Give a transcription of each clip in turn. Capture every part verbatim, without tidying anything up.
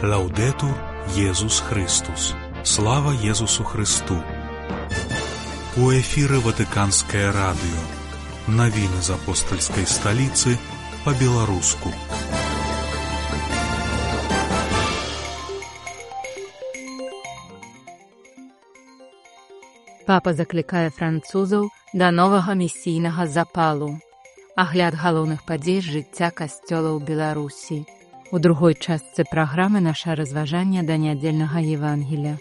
Лаудетур Єсус Христос. Слава Єсусу Христу. У эфиры Ватиканское радио. Новины из апостольской столицы по-белорусски. Папа заклікае французаў да новага місійнага запалу. Агляд галоўных падзей з жыцця касцёла ў Беларусі. У другой частцы праграмы наша разважанне да нядзельнага Евангелія.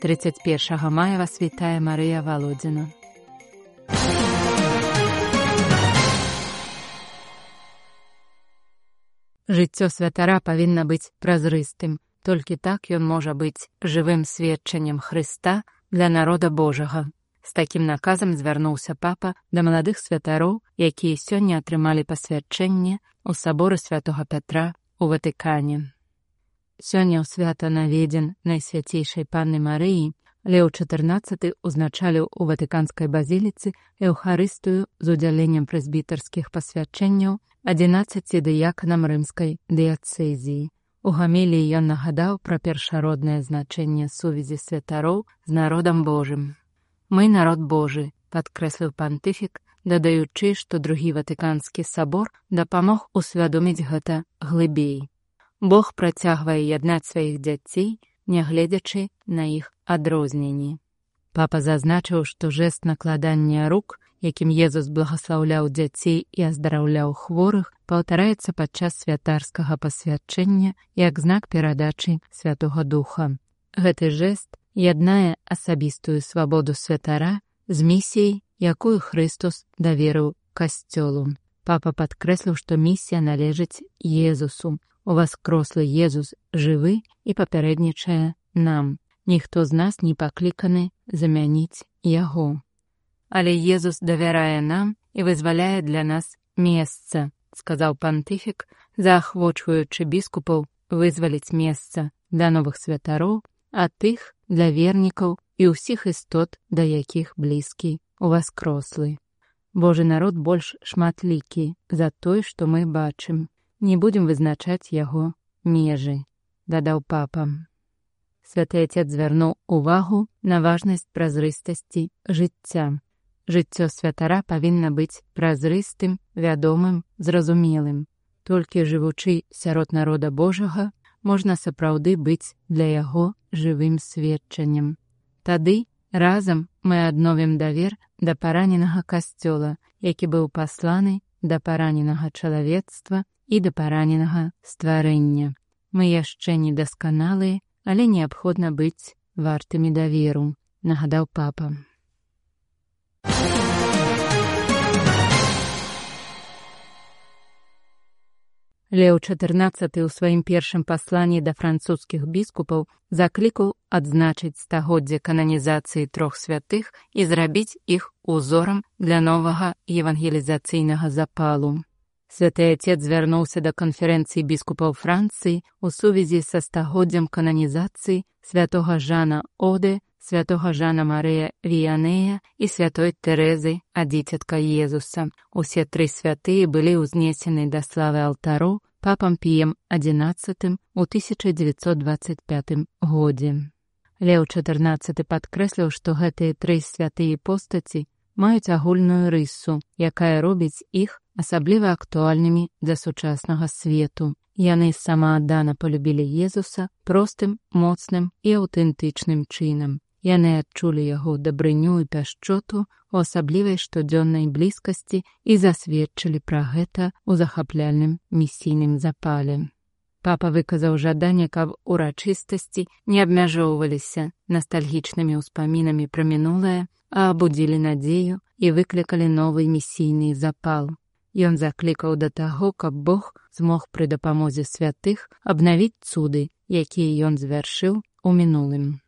тридцать першага мая вас вітае Марыя Володина. Жыццё святара павінна быць празрыстым. Толькі так ён можа быць жывым сведчаннем Хрыста для народа Божага. З такім наказам звярнуўся папа да маладых святароў, якія сёння атрымалі пасвячэнне ў саборы святога Пятра у Ватыкане. Сёння ў свята наведзен Найсвяцейшай Панны Марыі Леў чатырнаццаты узначаліў у Ватыканскай базіліцы эўхарыстыю з удзяленнем прэзбітарскіх пасвячэнняў адзінаццаці дыяканам рымскай дыяцэзіі. У гаміліі ён нагадаў пра першароднае значэнне сувязі святароў з народам Божым. «Мы народ Божы», падкрэсліў пантыфік, дадаючы, што другі Ватыканскі сабор дапамог усвядоміць гэта глыбей. Бог працягвае яднаць сваіх дзяцей, нягледзячы на іх адрозненні. Папа зазначыў, што жэст накладання рук, якім Езус благаслаўляў дзяцей і аздараўляў хворых, паўтараецца падчас святарскага пасвячэння як знак перадачы Святога Духа. Гэты жэст яднае асабістую свабоду святара з місіяй, якую Христос даверыў касцёлу. Папа падкрэсліў, што місія належыць Езусу. Уваскрослы Езус жывы і папярэднічае нам. Ніхто з нас не пакліканы замяніць яго. Але Езус давярае нам і вызваляе для нас месца, сказаў пантыфік, заахвочваючы біскупаў вызваліць месца для новых святароў, а тых для вернікаў і ўсіх істот, да якіх блізкі уваскрослы. Божы народ больш шматлікі за той, што мы бачым. Не будзем вызначаць яго межы, дадаў папа. Святы Отец звярнуў увагу на важнасць празрыстасці жыцця. Жыццё святара павінна быць празрыстым, вядомым, зразумелым. Толькі жывучы сярод народа Божага, можна сапраўды быць для яго жывым сведчаннем. Тады разам мы адновім давер да параненага касцёла, які быў пасланы да параненага чалавецтва і да параненага стварэння. Мы яшчэ не дасканалыя, але неабходна быць вартымі даверу, нагадаў папа. Леў чатырнаццаты ў сваім першым пасланні да французскіх біскупаў заклікаў адзначыць стагоддзе кананізацыі трох святых і зрабіць іх узорам для новага евангелізацыйнага запалу. Святы Отец звярнуўся да канферэнцыі біскупаў Францыі ў сувязі са стагоддзям кананізацыі святога Жана Оде, святога Жана Марыя Віянея і святой Тэрэзы, а дзіцятка Езуса. Усе тры святыя былі ўзнесены да славы алтароў папам Піем адзінаццатым у тысяча дзевяцьсот дваццаць пятым годзе. Леў чатырнаццаты падкрэсліў, што гэтыя тры святыя постаці маюць агульную рысу, якая робіць іх асабліва актуальнымі для сучаснага свету. Яны самааддана полюбілі Езуса простым, моцным і аўтэнтычным чынам. Яны адчулі яго дабрыню і пяшчоту у асаблівай штодзённай блізкасці і засведчылі пра гэта ў захапляльным місійным запале. Папа выказаў жаданне, каб урачыстасці не абмяжоўваліся настальгічнымі ўспамінамі пра мінулае, а абудзілі надзею і выклікалі новы місійны запал. Ён заклікаў да таго, каб Бог змог пры дапамозе святых абнавіць цуды, якія ён звяршыў у мінулым.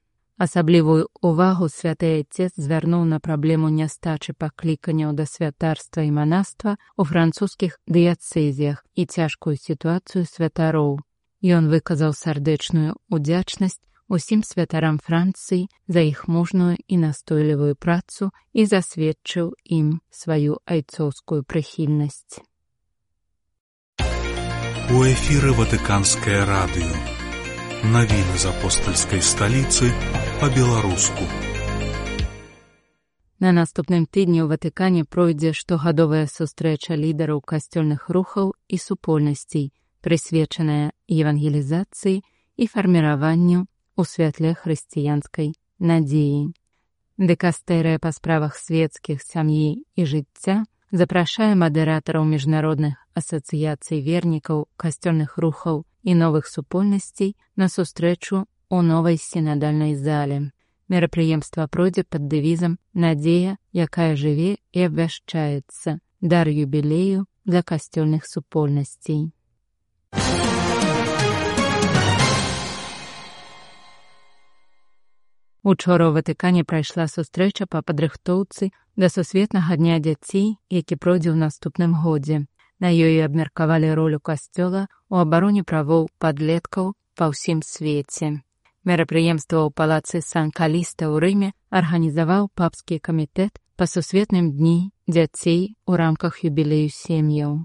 Асаблівую ўвагу святы Отец звярнуў на праблему нястачы пакліканняў да святарства і манаства ў французскіх дыяцэзіях і цяжкую сітуацыю святароў. Ён выказаў сардэчную удзячнасць усім святарам Францыі за іх мужную і настойлівую працу і засведчыў ім сваю айцоўскую прыхільнасць. У эфіры Ватыканскае радыё. Навіны з апостальскай сталіцы па-беларуску. На наступным тыдні ў Ватыкане пройдзе штогадовая сустрэча лідараў касцёльных рухаў і супольнасцей, прысвечаная евангелізацыі і фарміраванню ў святле хрысціянскай надзеі. Дыкастэрыя па справах свецкіх, сям'і і жыцця запрашае мадэратараў міжнародных асацыяцый вернікаў, касцёльных рухаў і новых супольнасцей на сустрэчу ў новай сінадальнай зале. Мерапрыемства пройдзе пад дэвізам «Надзея, якая жыве і абвяшчаецца. Дар юбілею для касцёльных супольнасцей». Учора ў Ватыкане прайшла сустрэча па падрыхтоўцы да Сусветнага дня дзяцей, які пройдзе ў наступным годзе. На ёй абмеркавалі ролю касцёла ў абароне правоў падлеткаў па ўсім свеце. Мерапрыемства ў палацы Сан-Каліста ў Рыме арганізаваў папскі камітэт па Сусветным дні дзяцей у рамках юбілею сем'яў.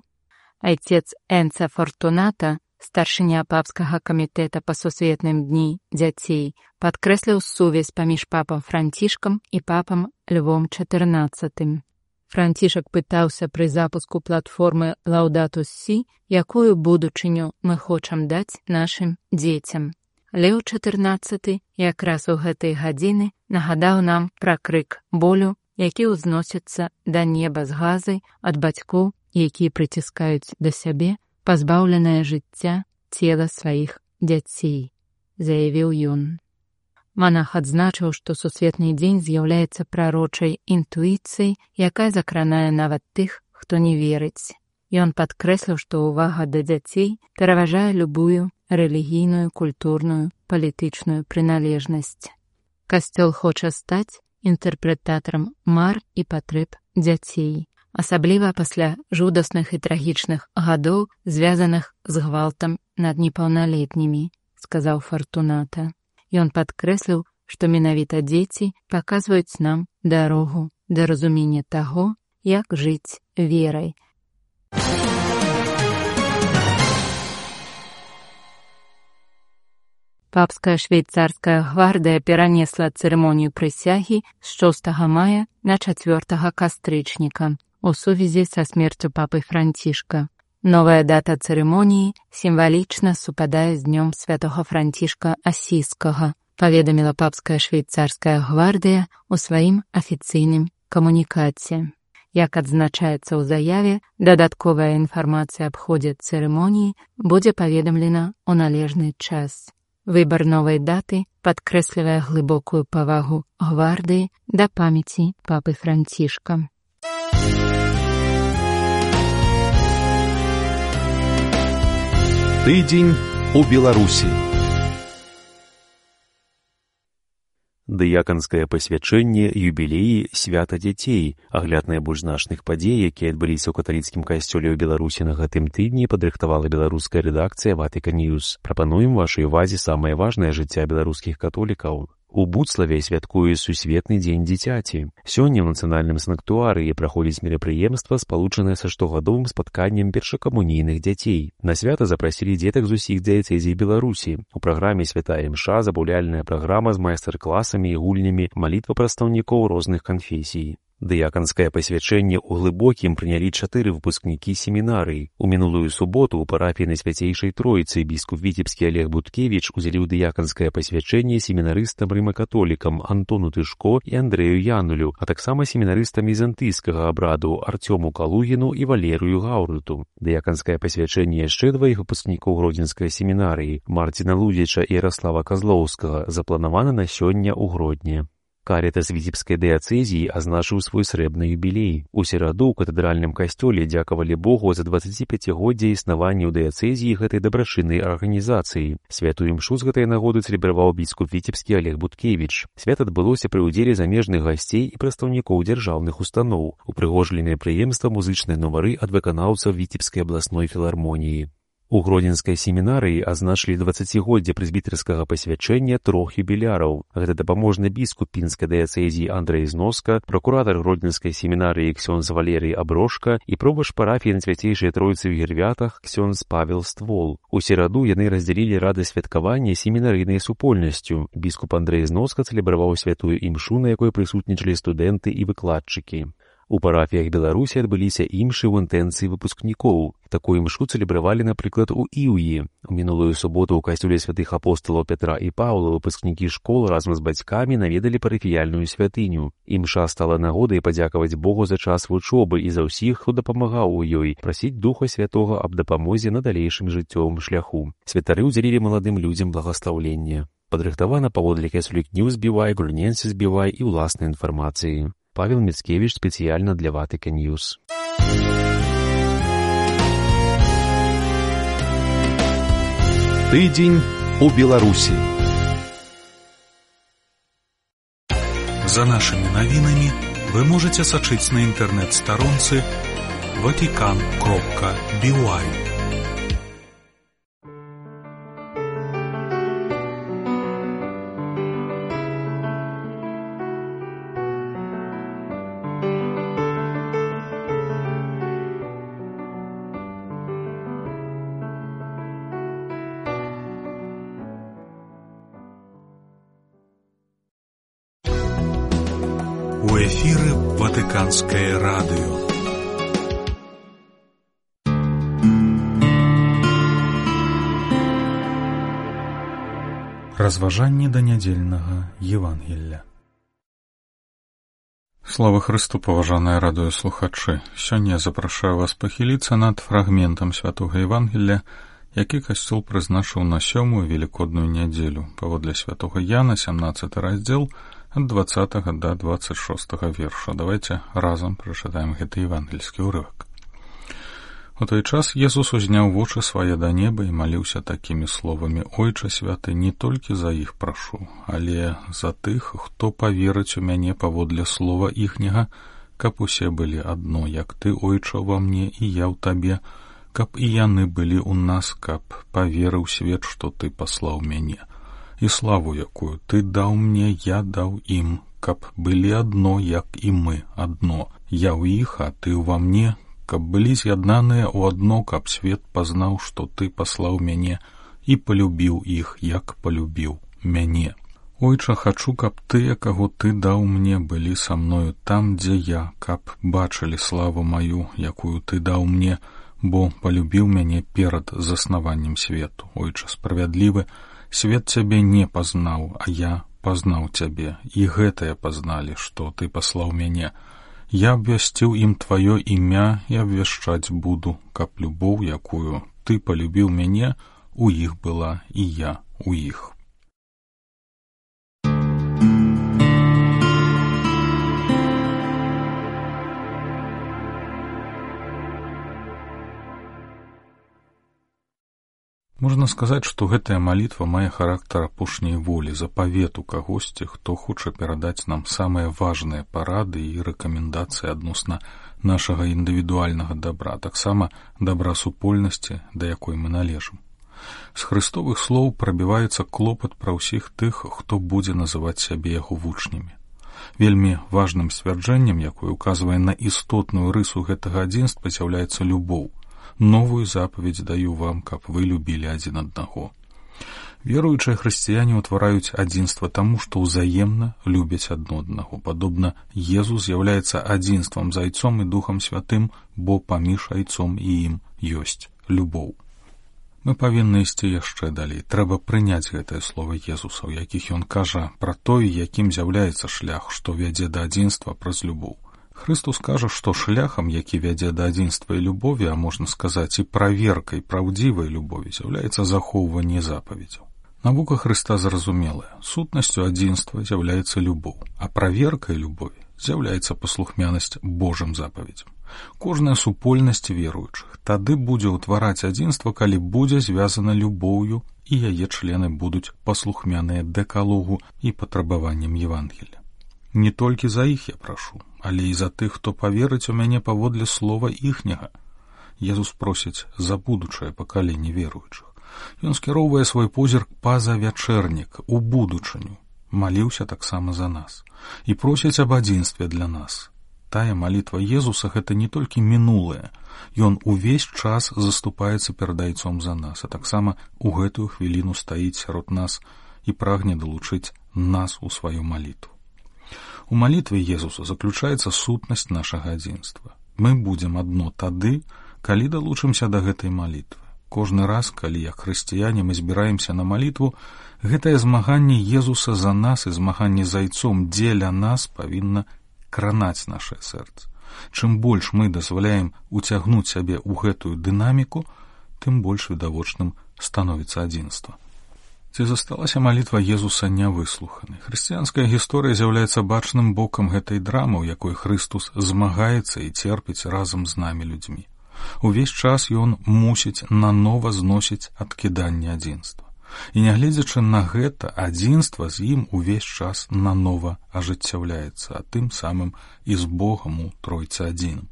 Айцец Энца Фортуната, старшыня папскага камітэта па Сусветным дні дзяцей, падкрэсліў сувязь паміж папам Францішкам і папам Львом чатырнаццатым. Францішак пытаўся пры запуску платформы «Лаўдатус Сі», якую будучыню мы хочам даць нашым дзецям. Леў чатырнаццаты якраз у гэтай гадзіны нагадаў нам пра крык болю, які ўзносіцца да неба з газай ад бацькоў, якія прыціскаюць да сябе пазбаўленае жыцця цела сваіх дзяцей, заявіў ён. Манах адзначыў, што Сусветны дзень з'яўляецца прарочай інтуіцыяй, якая закранае нават тых, хто не верыць. Ён падкрэсліў, што ўвага да дзяцей пераважае любую рэлігійную, культурную, палітычную прыналежнасць. Касцёл хоча стаць інтэрпрэтатарам мар і патрэб дзяцей, асабліва пасля жудасных і трагічных гадоў, звязаных з гвалтам над непаўналетнімі, сказаў Фортуната. Ён падкрэсліў, што менавіта дзеці паказваюць нам дарогу да разумення таго, як жыць верай. Папская швейцарская гвардыя перанесла цырымонію прысягі з шостага мая на чацвёртага кастрычніка у сувязі са смерцю папы Францішка. Новая дата цырымоніі сімвалічна супадае з днём святога Францішка Асійскага, паведаміла папская швейцарская гвардыя ў сваім афіцыйным камунікаце. Як адзначаецца ў заяве, дадатковая інфармацыя аб ходзе цырымоніі будзе паведамлена ў належны час. Выбар новай даты падкрэслівае глыбокую павагу гвардыі да памяці папы Францішка. Тыдзень у Беларусі. Дыяканскае пасвячэнне, юбілеі, свята дзяцей. Агляд найбольш значных падзей, якія адбыліся ў каталіцкім касцёле ў Беларусі на гэтым тыдні, падрыхтавала беларуская рэдакцыя Vatican News. Прапануем вашай увазе самае важнае жыцця беларускіх католікаў. У Буцлаве святкуе Сусветны дзень дзіцяці. Сёння ў нацыянальным санктуарыі праходзіць мерапрыемства, спалучанае са штогадовым спатканнем першакамунійных дзяцей. На свята запрасілі дзетак з усіх дыяцэзій Беларусі. У праграме святая імша, забаўляльная праграма з майстар-класамі і гульнямі, малітва прадстаўнікоў розных канфесій. Дыяканскае пасвячэнне ў глыбокім прынялі чатыры выпускнікі семінарыі. У мінулую суботу ў парафіі Найсвяцейшай Тройцы біскуп Віцебскі Олег Буткевіч удзяліў дыяканскае пасвячэнне семінарыстам рыма-католікам Антону Тышко і Андрэю Янулю, а таксама семінарыстам візантыйскага абраду Арцёму Калугіну і Валерыю Гаўрыту. Дыяканскае пасвячэнне яшчэ дваіх выпускнікоў Гродзенскай семінарыі Марціна Лудзіча і Яраслава Казлоўскага запланавана на сёння ў Гродні. Карітас Віцебскай дыяцэзіі азначыў свой срэбны юбілей. У сераду ў катэдральным касцёле дзякавалі Богу за дваццаціпяцігоддзе існавання ў дыяцэзіі гэтай дабрачыннай арганізацыі. Святую імшу з гэтай нагоды цэлебраваў біскуп Віцебскі Олег Буткевіч. Свят адбылося пры ўдзеле замежных гасцей і прадстаўнікоў дзяржаўных устаноў. Упрыгожылі мерапрыемства музычныя нумары ад выканаўцаў Віцебскай абласной філармоніі. У гродзенскай семінарыі азначылі дваццацігоддзе прэзбітэрскага пасвячэння трох юбіляраў. Гэта дапаможны біскуп пінскай дыяцэзіі Андрэй Зноска, пракуратар гродзенскай семінарыі ксёндз Валерый Аброшка і пробач парафіі на Свяцейшай Тройцы ў Гірвятах ксёндз Павел Ствол. У сераду яны раздзялілі радасць святкавання семінарыйнай супольнасцю. Біскуп Андрэй Зноска цэлебраваў святую імшу, на якой прысутнічалі студэнты і выкладчыкі. У парафіях Беларусі адбыліся імшы ў інтэнцыі выпускнікоў. Такую імшу цэлебравалі, напрыклад, у Іўі. У мінулую суботу ў касцёле святых апосталаў Пятра і Паўла выпускнікі школ разам з бацькамі наведалі парафіяльную святыню. Імша стала нагодай падзякаваць Богу за час вучобы і за ўсіх, хто дапамагаў у ёй, прасіць Духа Святога аб дапамозе на далейшым жыццёвым шляху. Святары ўдзялілі маладым людзям благаслаўленне. Падрыхтавана паводле Catholic News би вай, Gulnensis би вай і ўласнай інфармацыі. Павел Мицкевич спецыяльна для Vatican News. Тыдзень у Беларусі. За нашымі навінамі вы можаце сачыць на інтэрнэт-старонцы vatican кропка би вай. У эфіры Ватыканскае радыё. Разважанне да нядзельнага Евангелля. Слава Хрысту, паважаныя радыёслухачы! Сёння я запрашаю вас пахіліцца над фрагментам святога Евангелля, які касцёл прызначыў на сёмую велікодную нядзелю, паводле святога Яна, сямнаццаты раздзел, ад дваццатага да дваццаць шостага верша. Давайте разам прачытаем гэты евангельскі ўрывак. У той час Езус узняў вочы свае да неба і маліўся такімі словамі: «Ойча святы, не толькі за іх прашу, але за тых, хто паверыць у мяне паводле слова іхняга, каб усе былі адно, як ты, Ойча, ва мне і я ў табе, каб і яны былі ў нас, каб паверыў свет, што ты паслаў мяне. І славу, якую ты даў мне, я даў ім, каб былі адно, як і мы адно. Я ў іх, а ты ўва мне, каб былі з'яднаныя ў адно, каб свет пазнаў, што ты паслаў мяне і палюбіў іх, як палюбіў мяне. Ойча, хачу, каб тыя, каго ты даў мне, былі са мною там, дзе я, каб бачылі славу маю, якую ты даў мне, бо палюбіў мяне перад заснаваннем свету. Ойча справядлівы, свет цябе не пазнаў, а я пазнаў цябе, і гэтае пазналі, што ты паслаў мяне. Я абвясціў ім тваё імя і абвяшчаць буду, каб любоў, якую ты палюбіў мяне, у іх была і я у іх». Можна сказаць, што гэтая малітва мае характар апошняй волі, запавету кагосьці, хто хоча перадаць нам самыя важныя парады і рэкамендацыі адносна нашага індывідуальнага дабра, таксама дабра супольнасці, да якой мы належым. З хрыстовых слоў прабіваецца клопат пра ўсіх тых, хто будзе называць сябе яго вучнямі. Вельмі важным сцвярджэннем, якое указвае на істотную рысу гэтага адзінства, з'яўляецца любоў. Новую запаведь даю вам, каб вы любілі адзін аднаго. Веруючыя хрысціяне ўтвараюць адзінства таму, што ўзаемна любяць адно аднаго. Падобна, Езус з'яўляецца адзінствам з Айцом і Духам Святым, бо паміж Айцом і ім ёсць любоў. Мы павінны ісці яшчэ далей. Трэба прыняць гэтае слова Езуса, у якіх ён кажа пра той, якім з'яўляецца шлях, што вядзе да адзінства праз любоў. Хрыстус кажа, што шляхам, які вядзе да адзінства і любові, а можна сказаць і праверкай праўдзівай любові, з'яўляецца захоўванне запаведзяў. Навука Хрыста зразумелая. Сутнасцю адзінства з'яўляецца любоў, а праверкай любові з'яўляецца паслухмянасць Божым запаведзям. Кожная супольнасць веруючых тады будзе ўтвараць адзінства, калі будзе звязана любоўю, і яе члены будуць паслухмяныя дэкалогу і патрабаванням Евангелля. Не толькі за іх я прашу, але і за тых, хто паверыць у мяне паводле слова іхняга. Езус просіць за будучае пакаленне веруючых. Ён скіроўвае свой позірк па-за вячэрнік, у будучыню. Маліўся таксама за нас. І просіць аб адзінстве для нас. Тая малітва Езуса — гэта не толькі мінулае. Ён увесь час заступаецца перад Айцом за нас, а таксама у гэтую хвіліну стаіць сярод нас і прагне далучыць нас у сваю малітву. У малітве Езуса заключаецца сутнасць нашага адзінства. Мы будзем адно тады, калі далучымся да гэтай малітвы. Кожны раз, калі як хрысціяне мы збіраемся на малітву, гэтае змаганне Езуса за нас і змаганне з Айцом дзеля нас павінна кранаць нашае сэрца. Чым больш мы дазваляем уцягнуць сябе ў гэтую дынаміку, тым больш відавочным становіцца адзінства. Ці засталася малітва Езуса нявыслуханай? Хрысціянская гісторыя з'яўляецца бачным бокам гэтай драмы, у якой Хрыстус змагаецца і церпіць разам з намі людзьмі. Увесь час ён мусіць нанова зносіць адкіданне адзінства. І нягледзячы на гэта, адзінства з ім увесь час нанова ажыццяўляецца, а тым самым і з Богам у Тройцы адзіным.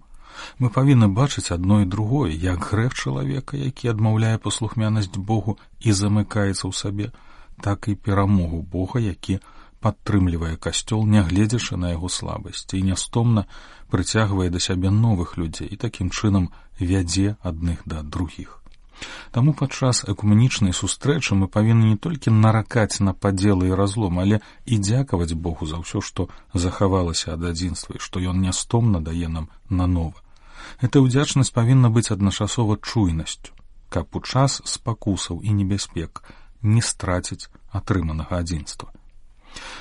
Мы павінны бачыць адно і другое, як грэх чалавека, які адмаўляе паслухмянасць Богу і замыкаецца ў сабе, так і перамогу Бога, які падтрымлівае касцёл, нягледзячы на яго слабасці, і нястомна прыцягвае да сябе новых людзей і такім чынам вядзе адных да другіх. Таму падчас экуменічнай сустрэчы мы павінны не толькі наракаць на падзелы і разлом, але і дзякаваць Богу за ўсё, што захавалася ад адзінства і што ён нястомна дае нам нанова. Эта ўдзячнасць павінна быць адначасова чуйнасцю, каб у час спакусаў і небяспек не страціць атрыманага адзінства.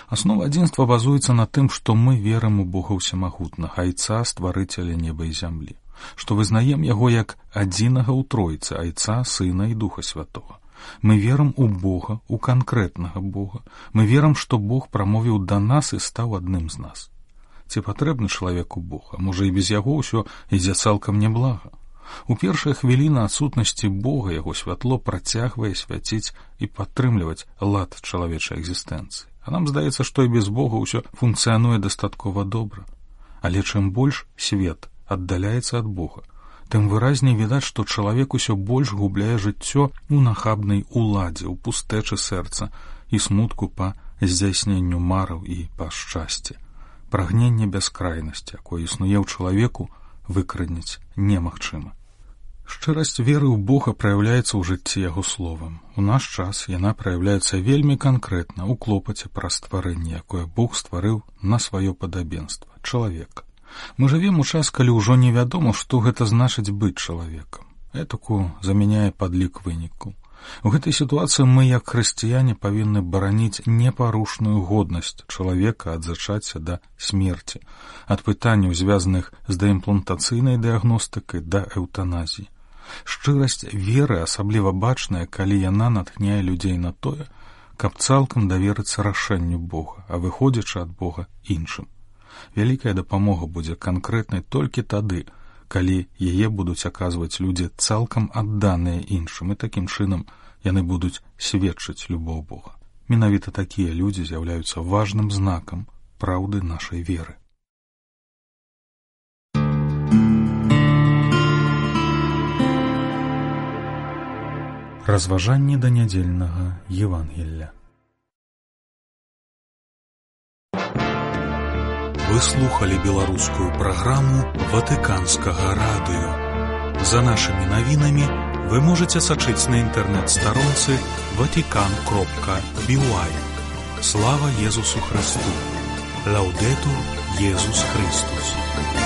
Аснова адзінства базуецца на тым, што мы верым у Бога ўсемагутнага, Айца, стварыцеля неба і зямлі, што вызнаем яго як адзінага ў Тройцы, Айца, Сына і Духа Святога. Мы верым у Бога, у канкрэтнага Бога. Мы верым, што Бог прамовіў да нас і стаў адным з нас. Ці патрэбны чалавеку Бог, а можа і без яго ўсё ідзе цалкам няблага. У першыя хвіліны адсутнасці Бога яго святло працягвае свяціць і падтрымліваць лад чалавечай экзістэнцыі. А нам здаецца, што і без Бога ўсё функцыянуе дастаткова добра. Але чым больш свет аддаляецца ад Бога, тым выразней відаць, што чалавек усё больш губляе жыццё у нахабнай уладзе, у пустэчы сэрца і смутку па здзяйсненню мараў і па шчасці. Прагненне бяскрайнасці, якое існуе ў чалавеку, выкранець немагчыма. Шчырасць веры ў Бога праяўляецца ў жыцці яго словам. У наш час яна праяўляецца вельмі канкрэтна ў клопаце пра стварэнне, якое Бог стварыў на сваё падабенства — чалавека. Мы жывем у час, калі ўжо невядома, што гэта значыць быць чалавекам. Этаку замяняе падлік вынікаў. У гэтай сітуацыі мы, як хрысціяне, павінны бараніць непарушную годнасць чалавека ад зачацця да смерці, ад пытанняў, звязаных з даімплантацыйнай дыягностыкай да эўтаназіі. Шчырасць веры асабліва бачная, калі яна натхняе людзей на тое, каб цалкам даверыцца рашэнню Бога, а выходзячы ад Бога іншым. Вялікая дапамога будзе канкрэтнай толькі тады, калі яе будуць аказваць людзі цалкам адданыя іншым, і такім чынам яны будуць сведчыць любоў Бога. Менавіта такія людзі з'яўляюцца важным знакам праўды нашай веры. Разважанні да нядзельнага Евангелля. Вы слухали беларускую праграму Ватыканскага радыё. За нашымі навінамі вы можаце сачыць на інтэрнэт-старонцы ватикан кропка би уай. Слава Езусу Христу! Лаудетур Езус Христус!